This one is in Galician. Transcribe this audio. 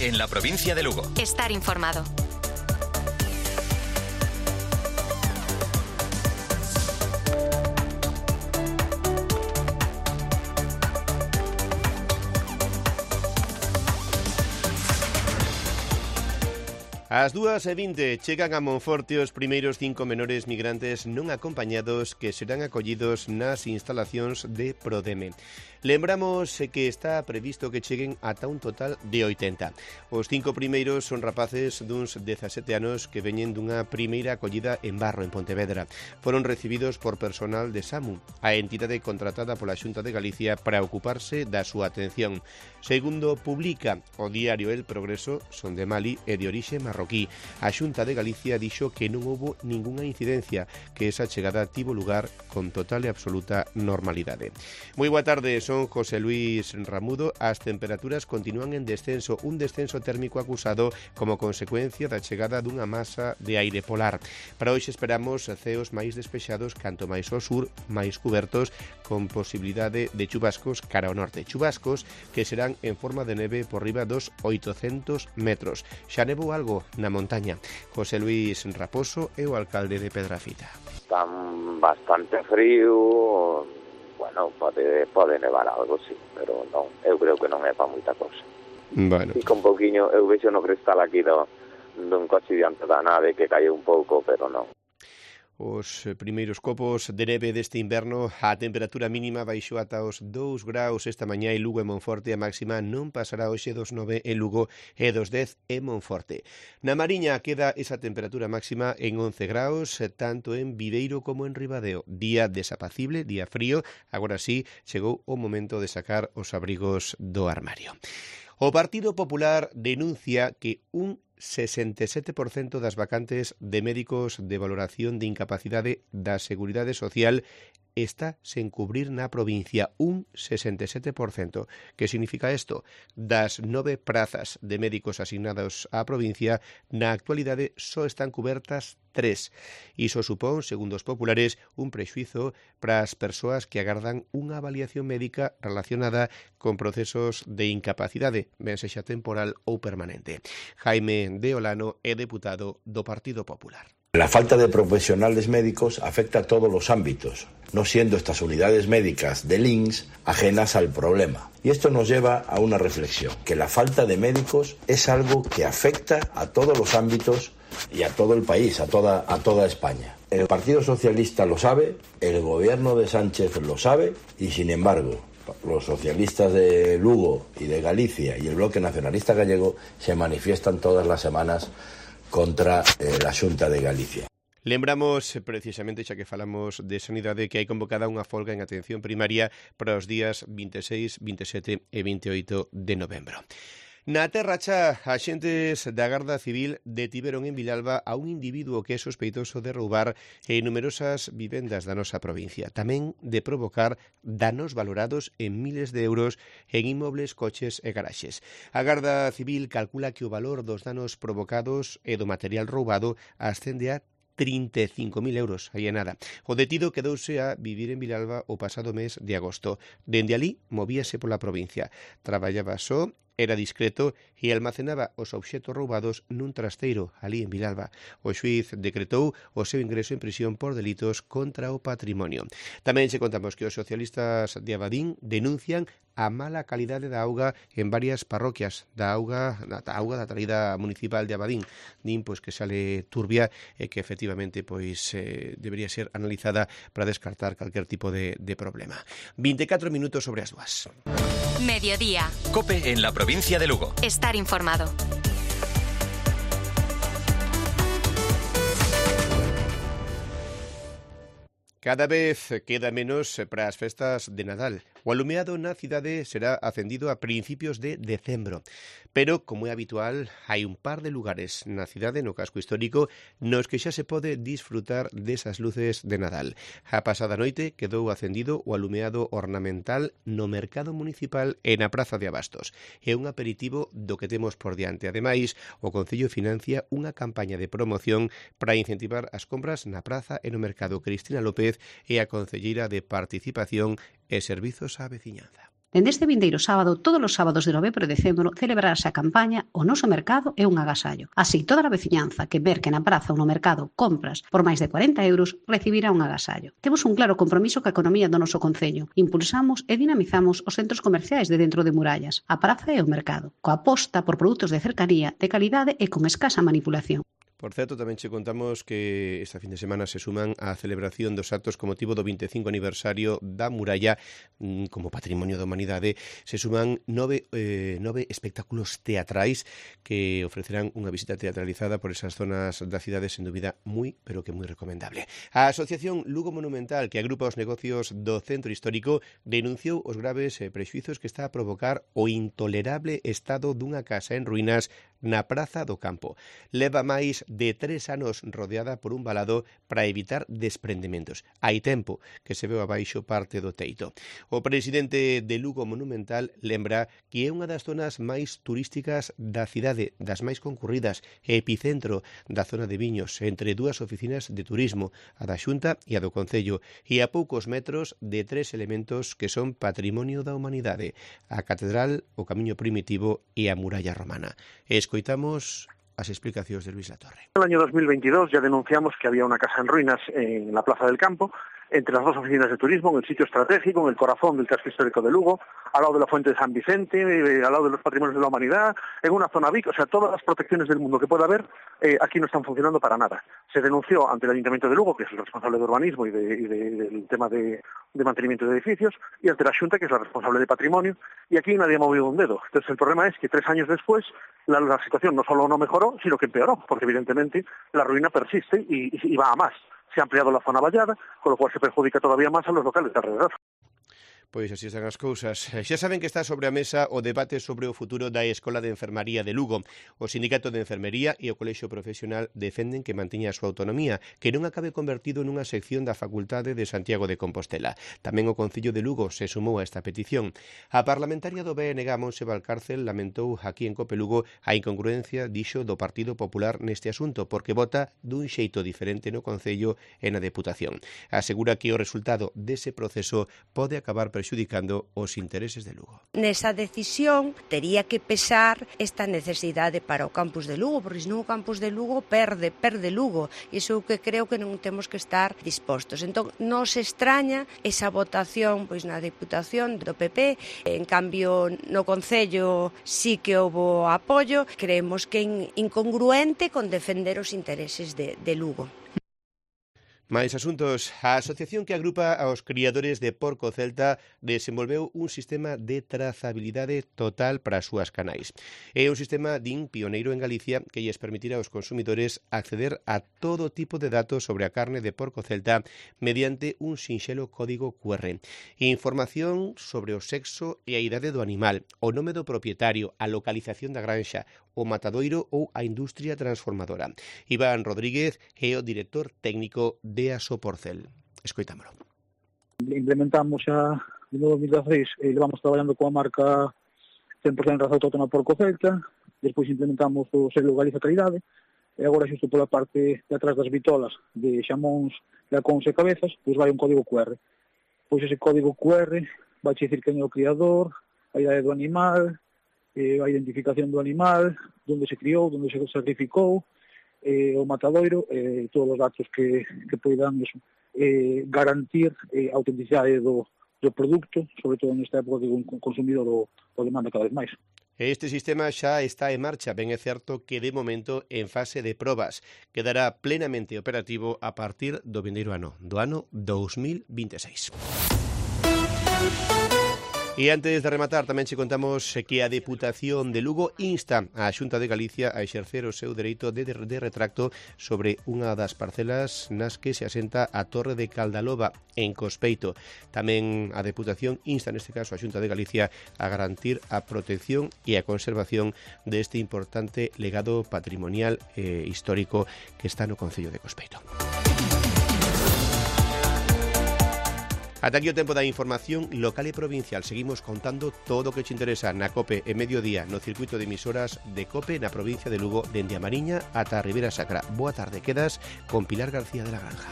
COPE en la provincia de Lugo. Estar informado. Ás 2:20 chegan a Monforte os primeiros 5 menores migrantes non acompañados que serán acollidos nas instalacións de Prodeme. Lembramos que está previsto que cheguen ata un total de 80. Os 5 primeiros son rapaces duns 17 anos que veñen dunha primeira acollida en Barro, en Pontevedra. Foron recibidos por personal de SAMU, a entidade contratada pola Xunta de Galicia para ocuparse da súa atención. Segundo publica o diario El Progreso, son de Mali e de orixe marroquí. A Xunta de Galicia dixo que non houbo ningunha incidencia, que esa chegada tivo lugar con total e absoluta normalidade. Moi boa tarde, son José Luis Ramudo. As temperaturas continúan en descenso, un descenso térmico acusado como consecuencia da chegada dunha masa de aire polar. Para hoxe esperamos ceos máis despexados, canto máis ao sur, máis cubertos, con posibilidade de chubascos cara ao norte. Chubascos que serán en forma de neve por riba dos 800 metros. Xa nevou algo na montaña. José Luis Raposo é o alcalde de Pedrafita. Están bastante frío, bueno, pode nevar algo, sí, pero non, eu creo que non é para moita cosa. Bueno. Fica un pouquiño, eu vexo no cristal aquí dun coche diante da nave que cae un pouco, pero non. Os primeiros copos de neve deste inverno, a temperatura mínima baixou ata os 2 graus esta mañá en Lugo e Monforte, a máxima non pasará hoxe dos 9 en Lugo e dos 10 en Monforte. Na Mariña queda esa temperatura máxima en 11 graus, tanto en Viveiro como en Ribadeo. Día desapacible, día frío, agora sí chegou o momento de sacar os abrigos do armario. O Partido Popular denuncia que un 67% das vacantes de médicos de valoración de incapacidade da Seguridade Social está sen cubrir na provincia, un 67%. Que significa isto? Das 9 prazas de médicos asignados á provincia, na actualidade só están cubertas 3. Iso supón, segundo os populares, un prexuízo para as persoas que agardan unha avaliación médica relacionada con procesos de incapacidade, ben sexa temporal ou permanente. Jaime de Olano é deputado do Partido Popular. La falta de profesionales médicos afecta a todos los ámbitos, no siendo estas unidades médicas del INS ajenas al problema. Y esto nos lleva a una reflexión, que la falta de médicos es algo que afecta a todos los ámbitos y a todo el país, a toda España. El Partido Socialista lo sabe, el gobierno de Sánchez lo sabe y, sin embargo, los socialistas de Lugo y de Galicia y el Bloque Nacionalista Gallego se manifiestan todas las semanas contra la Xunta de Galicia. Lembramos, precisamente, xa que falamos de sanidade, que hai convocada unha folga en atención primaria para os días 26, 27 e 28 de novembro. Na Terra Cha, axentes da Garda Civil detiveron en Vilalba a un individuo que é sospeitoso de roubar en numerosas vivendas da nosa provincia, tamén de provocar danos valorados en miles de euros en inmobles, coches e garaxes. A Garda Civil calcula que o valor dos danos provocados e do material roubado ascende a 35.000 euros, aí é nada. O detido quedouse a vivir en Vilalba o pasado mes de agosto. Dende alí movíase pola provincia. Traballaba só, era discreto e almacenaba os obxetos roubados nun trasteiro, ali en Vilalba. O xuíz decretou o seu ingreso en prisión por delitos contra o patrimonio. Tamén se contamos que os socialistas de Abadín denuncian a mala calidade da auga en varias parroquias da auga da traída municipal de Abadín. Din pois que sale turbia e que efectivamente pois debería ser analizada para descartar calquer tipo de problema. 24 minutos sobre as 2. Mediodía. COPE en la provincia de Lugo. Estar informado. Cada vez queda menos para as festas de Nadal. O alumeado na cidade será acendido a principios de decembro. Pero, como é habitual, hai un par de lugares na cidade, no casco histórico, nos que xa se pode disfrutar desas luces de Nadal. A pasada noite quedou acendido o alumeado ornamental no mercado municipal e na Praza de Abastos. É un aperitivo do que temos por diante. Ademais, o Concello financia unha campaña de promoción para incentivar as compras na praza e no mercado. Cristina López é a concelleira de Participación e Servizos á Veciñanza. Dende este vindeiro sábado, todos os sábados de novembro e decembro, celebrarase a campaña O noso mercado é un agasallo. Así, toda a veciñanza que merque na praza ou no mercado compras por máis de 40 euros recibirá un agasallo. Temos un claro compromiso ca economía do noso concello. Impulsamos e dinamizamos os centros comerciais de dentro de murallas, a praza e o mercado, coa aposta por produtos de cercanía, de calidade e con escasa manipulación. Por certo, tamén che contamos que esta fin de semana se suman á celebración dos actos con motivo do 25 aniversario da muralla como Patrimonio da Humanidade. Se suman nove espectáculos teatrais que ofrecerán unha visita teatralizada por esas zonas da cidade, sen dúbida moi, pero que moi recomendable. A Asociación Lugo Monumental, que agrupa os negocios do centro histórico, denunciou os graves prexuizos que está a provocar o intolerable estado dunha casa en ruínas na Praza do Campo. Leva máis de 3 anos rodeada por un valado para evitar desprendementos. Hai tempo que se veu abaixo parte do teito. O presidente de Lugo Monumental lembra que é unha das zonas máis turísticas da cidade, das máis concurridas, epicentro da zona de Viños, entre dúas oficinas de turismo, a da Xunta e a do Concello, e a poucos metros de 3 elementos que son patrimonio da humanidade: a catedral, o camiño primitivo e a muralla romana. Escoitamos las explicaciones de Luis Latorre. En el año 2022 ya denunciamos que había una casa en ruinas en la Plaza del Campo, entre las dos oficinas de turismo, en el sitio estratégico, en el corazón del casco histórico de Lugo, al lado de la Fuente de San Vicente, al lado de los patrimonios de la humanidad, en una zona VIC, o sea, todas las protecciones del mundo que pueda haber, aquí no están funcionando para nada. Se denunció ante el Ayuntamiento de Lugo, que es el responsable de urbanismo y del tema de mantenimiento de edificios, y ante la Xunta, que es la responsable de patrimonio, y aquí nadie ha movido un dedo. Entonces el problema es que 3 años después la situación no solo no mejoró, sino que empeoró, porque evidentemente la ruina persiste y va a más. Se ha ampliado la zona vallada, con lo cual se perjudica todavía más a los locales de alrededor. Pois así están as cousas. Xa saben que está sobre a mesa o debate sobre o futuro da Escola de Enfermaría de Lugo. O Sindicato de Enfermería e o Colexio Profesional defenden que manteña a súa autonomía, que non acabe convertido nunha sección da Facultade de Santiago de Compostela. Tamén o Concello de Lugo se sumou a esta petición. A parlamentaria do BNG, Montse Valcárcel, lamentou aquí en Cope Lugo a incongruencia, dixo, do Partido Popular neste asunto, porque vota dun xeito diferente no Concello e na Deputación. Asegura que o resultado dese proceso pode acabar prexudicando os intereses de Lugo. Nesa decisión tería que pesar esta necesidade para o campus de Lugo, porque senón o campus de Lugo perde Lugo. Iso que creo que non temos que estar dispostos. Entón, nos extraña esa votación pois na Deputación do PP. En cambio, no Concello sí que houbo apoio. Creemos que é incongruente con defender os intereses de Lugo. Mais asuntos. A asociación que agrupa aos criadores de porco celta desenvolveu un sistema de trazabilidade total para as súas canais. É un sistema, din, pioneiro en Galicia que lles permitirá aos consumidores acceder a todo tipo de datos sobre a carne de porco celta mediante un sinxelo código QR. Información sobre o sexo e a idade do animal, o nome do propietario, a localización da granxa, o matadoiro ou a industria transformadora. Iván Rodríguez é o director técnico de Asoporcel. Escoitámolo. Implementamos xa en 2016, levamos traballando coa marca 100% raza autóctona porco celta, despois implementamos o selo Galiza Calidade, e agora xusto pola parte de atrás das vitolas de xamóns, lacóns e cabezas, pois vai un código QR. Pois ese código QR vai dicir quen é o criador, a idade do animal, a identificación do animal, onde se criou, onde se sacrificou, o matadoiro, todos os datos que poidan garantir a autenticidade do produto, sobre todo nesta época que o consumidor o demanda cada vez máis. Este sistema xa está en marcha, ben é certo que de momento en fase de probas. Quedará plenamente operativo a partir do vindeiro ano, do ano 2026. E antes de rematar, tamén che contamos que a Deputación de Lugo insta a Xunta de Galicia a exercer o seu dereito de retracto sobre unha das parcelas nas que se asenta a Torre de Caldaloba, en Cospeito. Tamén a Deputación insta, neste caso, a Xunta de Galicia a garantir a protección e a conservación deste importante legado patrimonial e histórico que está no Concello de Cospeito. Ata aquí o tempo da información local e provincial. Seguimos contando todo o que te interesa na COPE e Mediodía, no circuito de emisoras de COPE na provincia de Lugo, dende a Mariña ata a Ribera Sacra. Boa tarde, quedas con Pilar García de la Granja.